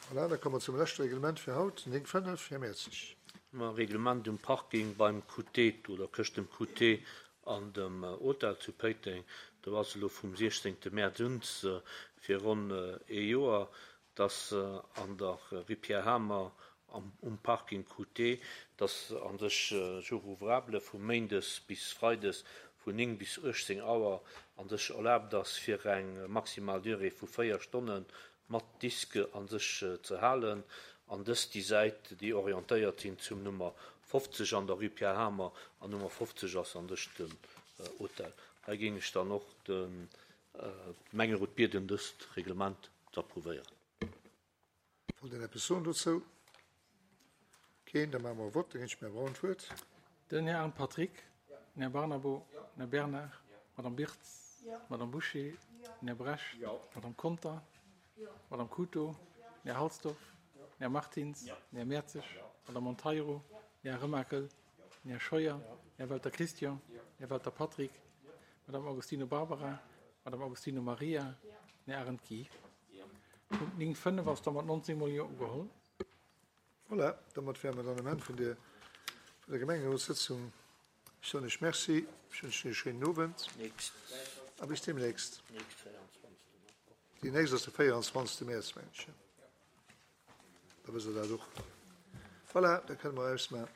Voilà, da komme mer zum leschte Reglement fir haut, 9.5. Här Mertzig. Ma Reglement um Parking beim QT oder këscht dem QT an dem Hotel zu Péiteng. Do ass elo vum 16. Mäerz un fir ronn ee Joer, dass an der Rue Pierre Hamer um Parking QT, dass a sech jour ouvrable vu méindes bis freides vun 9 bis 18 Auer a sech erlaabt ass fir eng maximal Durée vu 4 Stonnen mat Disque a sech ze halen an dëst déi Säit déi orientéiert sinn zum Nummer 50 an der Rue Pierre Hamer an Nummer 50 ass an sech den Hotel. Hei géing ech dann och de Gemengerot bieden dëst Reglement z'approuvéieren. Wollt een eppes soen dozou? Keen? Da maache mer e Vott. Da ginn ech dem Här Braun d'Wuert. Den Här Arndt Patrick, den Här Barnabo, den Här Bernard, d'Madame Birtz, d'Madame Bouché, den Här Bresch, d'Madame Conter, d'Madame Couto, den Här Halsdorf, den Här Martins, den Här Mertzig, d'Madame Monteiro, den Här Remakel, den Här Scheuer, den Här Welter Christian, den Här Welter Patrick, d'Madame Agostino Barbara, d'Madame Agostino Maria, den Här Arendt Guy. Punkt 9, 5 ass da mat 19 mol Jo ugeholl. Voilà, domat wäre mer dann um Enn vun der vun der Gemengerotssëtzung. Ech soen Iech Merci, ech wënschen Iech e schéinen Owend a bis deemnächst. Déi nächst ass de 24. Mäerz, mengen ech. Da wësst Der dat och. Voilà, da kënne mer ausmachen.